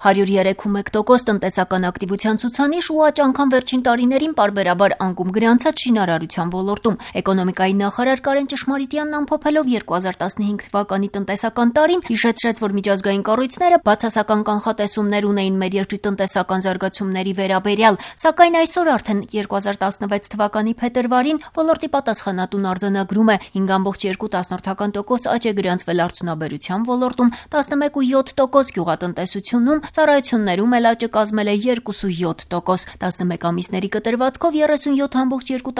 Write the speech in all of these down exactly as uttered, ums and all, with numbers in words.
հարյուր երեք կόμma մեկ տոկոս տնտեսական ակտիվության ցուցանիշ ու աճ անգամ վերջին տարիներին պարբերաբար անկում գրանցած շինարարության ոլորտում։ Էկոնոմիկայի նախարար Կարեն Ճշմարիտյանն ամփոփելով երկու հազար տասնհինգ թվականի տնտեսական տարին հիշեցրեց, որ միջազգային կառույցները բացասական կանխատեսումներ ունեին մեր երկրի տնտեսական զարգացումների վերաբերյալ, սակայն այսօր արդեն երկու հազար տասնվեց թվականի փետրվարին ոլորտի պատասխանատուն արձանագրում է հինգ կόμma երկու տոկոս աճ է գրանցվել արդյունաբերության ոլորտում, տասնմեկ կόμma յոթ տոկոս գյուղատնտեսությունում, ծառայություններում էլ աճը կազմել է երկու կόμma յոթ տոկոս, տասնմեկ ամիսների կտրվածքով երեսունյոթ կόμma երկու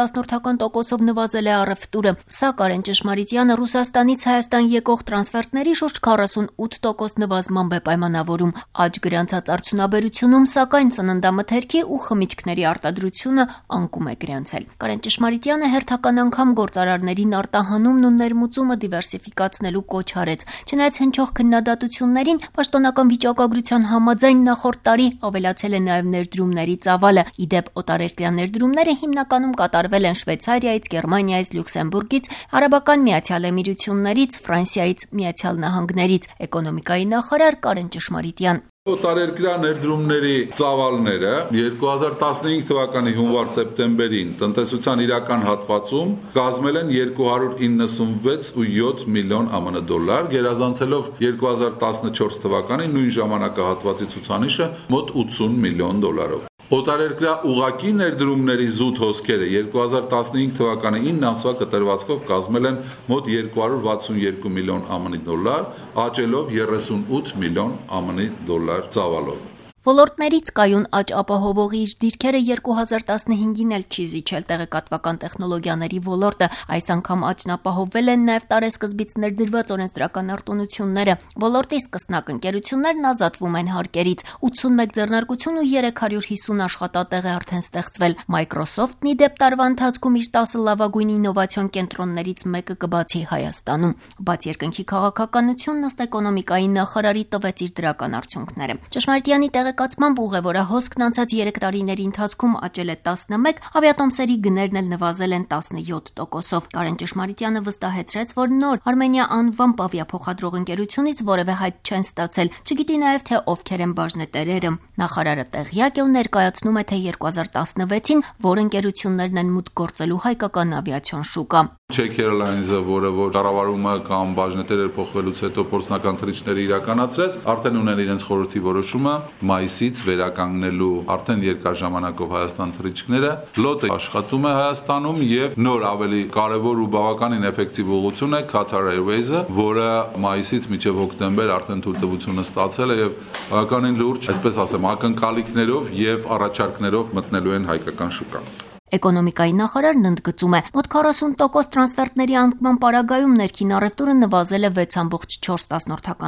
տոկոսով նվազել է առևտուրը, սա Կարեն Ճշմարիտյանը Ռուսաստանից Հայաստան եկող տրանսֆերտների շուրջ քառասունութ տոկոս նվազմամբ է պայմանավորում։ Աճ գրանցած արդյունաբերությունում, սակայն ծննդամթերքի ու խմիչքների արտադրությունը անկում է գրանցել։ Կարեն Ճշմարիտյանը հերթական անգամ գործարարներին արտահանումն ու ներմուծումը դիվերսիֆիկացնելու կոչ արեց։ Չնայած հնչող քննադատություններին, պաշտոնական վիճակագրության համաձայն նախորդ տարի ավելացել է նաև ներդրումների ծավալը։ Ի դեպ, օտարերկրյա ներդրումները հիմնականում կատարվել են Շվեյցարիայից, Գերմանիայից, Լյուքսեմբուրգից, Արաբական Միացյալ Էմիրություններից, Ֆրանսիայից, Միացյալ Նահանգներից։ Էկոնոմիկայի նախարար Կարեն Ճշմարիտյան. Օտարերկրյա ներդրումների ծավալները երկու հազար տասնհինգ թվականի հունվար-սեպտեմբերին տնտեսության իրական հատվածում կազմել են երկու հարյուր իննսունվեց կόμma յոթ միլիոն ԱՄՆ դոլար, գերազանցելով երկու հազար տասնչորս թվականի նույն ժամանակահատվածի ցուցանիշը մոտ ութսուն միլիոն դոլարով։ Օտարերկրյա ուղղակի ներդրումների զուտ հոսքերը երկու հազար տասնհինգ թվականի ինը ամսվա կտրվածքով կազմել են մոտ երկու հարյուր վաթսունյոթ միլիոն ԱՄՆ դոլար, աճելով երեսունութ միլիոն ԱՄՆ դոլար ծավալով։ Ոլորտներից կայուն աճ ապահովողի իր դիրքերը երկու հազար տասնհինգին էլ չի զիջել տեղեկատվական տեխնոլոգիաների ոլորտը, այս անգամ աճն ապահովվել են նաև տարեսկզբից ներդրված օրենսդրական արտոնությունները։ Ոլորտի սկսնակ ընկերություններն ազատվում են հարկերից, ութսունմեկ ձեռնարկություն ու երեք հարյուր հիսուն աշխատատեղ է արդեն ստեղծվել։ Microsoft-ն ի դեպ տարվա ընթացքում իր տասը լավագույն ինովացիոն կենտրոններից մեկը կբացի Հայաստանում։ Բաց երկնքի քաղաքականությունն ըստ էկոնոմիկայի նախարարի տվեց իր դրական արդյունքները։ Ճշմարիտյանի տեղեկացմամբ ուղևորահոսքն անցած երեք տարիների ընթացքում աճել է տասնմեկ, ավիատոմսերի գներն էլ նվազել են տասնյոթ տոկոսով։ Կարեն Ճշմարիտյանը վստահեցրեց, որ նոր Armenia անվամբ ավիափոխադրող ընկերությունից որևէ հայտ չեն ստացել, չգիտի նաև թե ովքեր են բաժնետերերը։ Նախարարը տեղյակ է ու ներկայացնում է, թե երկու հազար տասնվեցին որ ընկերություններն են մուտք գործելու հայկական ավիացիոն շուկա։ Czech Airlines-ը, որը որ կառավարումը կամ բաժնետերեր փոխվելուց հետո փորձնական թռիչքներ իրականացրեց, արդեն ուներ իրենց խորհրդի որոշումը մայիսից վերականգնելու արդեն երկար ժամանակով Հայաստան թռիչքները։ Լոտը աշխատում է Հայաստանում եւ նոր ավելի կարեւոր ու բավականին էֆեկտիվ ուղղություն է Qatar Airways-ը, որը մայիսից մինչեւ հոկտեմբեր արդեն թույլտվությունը ստացել է եւ բավականին լուրջ, այսպես ասեմ, ակնկալիքներով եւ առաջարկներով մտնելու են հայկական շուկա։ Էկոնոմիկայի նախարարն ընդգծում է, մոտ քառասուն տոկոս տրանսֆերտների անկման պարագայում ներքին առևտուրը նվազել է վեց կόμma չորս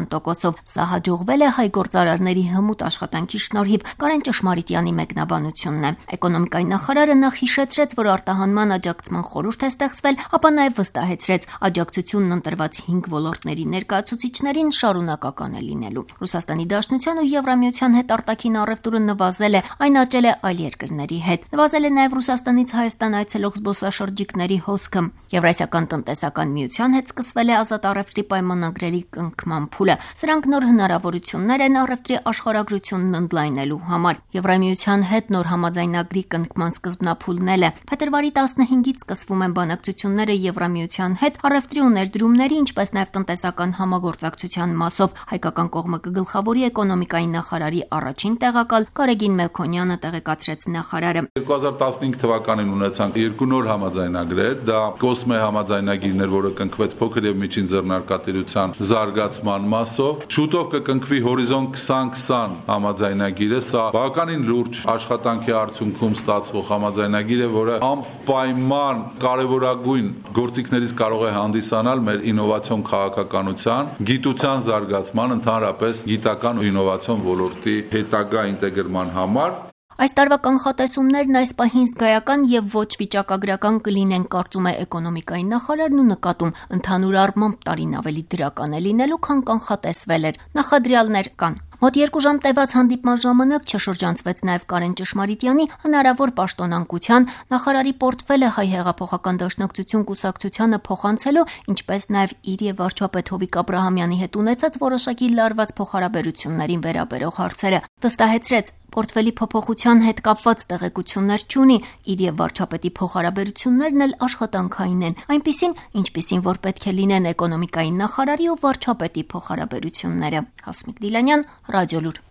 տոկոսով։ Սա հաջողվել է հայ գործարարների հմուտ աշխատանքի շնորհիվ, Կարեն Ճշմարիտյանի մեկնաբանությունն է։ Էկոնոմիկայի նախարարը նախ հիշեցրեց, որ արտահանման աջակցման խորհուրդ է ստեղծվել, ապա նաև վստահեցրեց, աջակցությունն ընտրված հինգ ոլորտների ներկայացուցիչներին շարունակական է լինելու։ Ռուսաստանի Դաշնության ու Եվրամիության հետ արտաքին առևտուրը նվազել է, այն աճել է այլ երկրների հետ։ Նվազել է նաև Ռուսաստանի Հայաստանից Հայաստան այցելող զբոսաշրջիկների հոսքը։ Եվրասիական տնտեսական միության հետ սկսվել է ազատ առևտրի պայմանագրերի կնքման փուլը։ Սրանք նոր հնարավորություններ են առևտրի աշխարհագրությունն ընդլայնելու համար։ Եվրամիության հետ նոր համաձայնագրի կնքման սկզբնափուլն էլ է։ Փետրվարի տասնհինգից սկսվում են բանակցությունները Եվրամիության հետ առևտրի ու ներդրումների, ինչպես նաև տնտեսական համագործակցության մասով։ Հայկական կողմը կգլխավորի էկոնոմիկայի նախարարի առաջին տեղակալ Կարեգին Մելքոնյանը տեղեկացրեց նախարարը։ երկու հազար տասնհինգ թվականին ունեցանք երկու նոր համաձայնագրեր, դա Կոսմե համաձայնագիրն էր, որը կնքվեց փոքր եւ միջին ձեռնարկատիրության զարգացման մասով։ Շուտով կկնքվի Հորիզոն քսան քսան համաձայնագիրը, սա բավականին լուրջ աշխատանքի արդյունքում ստացվող համաձայնագիր է, որը անպայման կարևորագույն գործիքներից կարող է հանդիսանալ մեր ինովացիոն քաղաքականության, գիտության զարգացման, ընդհանրապես գիտական ու ինովացիոն ոլորտի հետագա ինտեգրման համար։ Այս տարվա կանխատեսումներն այս պահին զգայական եւ ոչ վիճակագրական կլինեն, կարծում է էկոնոմիկայի նախարարն ու նկատում, ընդհանուր առմամբ տարին ավելի դրական է լինելու, քան կանխատեսվել էր։ Նախադրյալներ կան։ Մոտ երկու ժամ տևած հանդիպման ժամանակ չշրջանցվեց նաև Կարեն Ճշմարիտյանի հնարավոր պաշտոնանկության, նախարարի պորտֆելը Հայ հեղափոխական դաշնակցություն կուսակցությանը փոխանցելու, ինչպես նաև իր եւ վարչապետ Հովիկ Աբրահամյանի հետ ունեցած որոշակի լարված փոխհարաբերություններին վերաբերող հարցերը։ Վստահեցրեց, պորտֆելի փոփոխության հետ կապված տեղեկություններ չունի, իր եւ վարչապետի փոխհարաբերություններն էլ աշխատանքային են, այնպիսին, ինչպիսին որ պետք է լինեն էկոնոմիկայի նախարարի ու վարչապետի փոխհարաբերությունները։ Հասմիկ Դիլանյան, Ռադիոլուր։